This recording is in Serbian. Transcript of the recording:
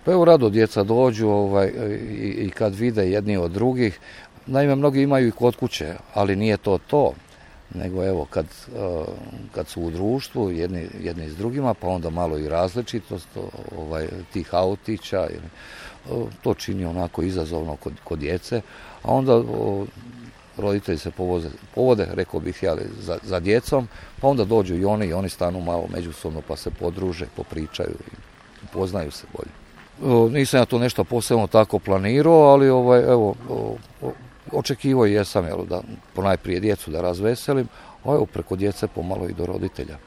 Pa evo rado djeca dođu i kad vide jedni od drugih. Naime, mnogi imaju i kod kuće, ali nije to. Nego evo kad su u društvu jedni s drugima, pa onda malo i različitost tih autića, to čini onako izazovno kod djece, a onda roditelji se povode, rekao bih ja, za djecom, pa onda dođu i oni stanu malo međusobno pa se podruže, popričaju i upoznaju se bolje. Nisam ja to nešto posebno tako planirao, ali očekivao jesam da ponajprije djecu da razveselim, a evo preko djece pomalo i do roditelja.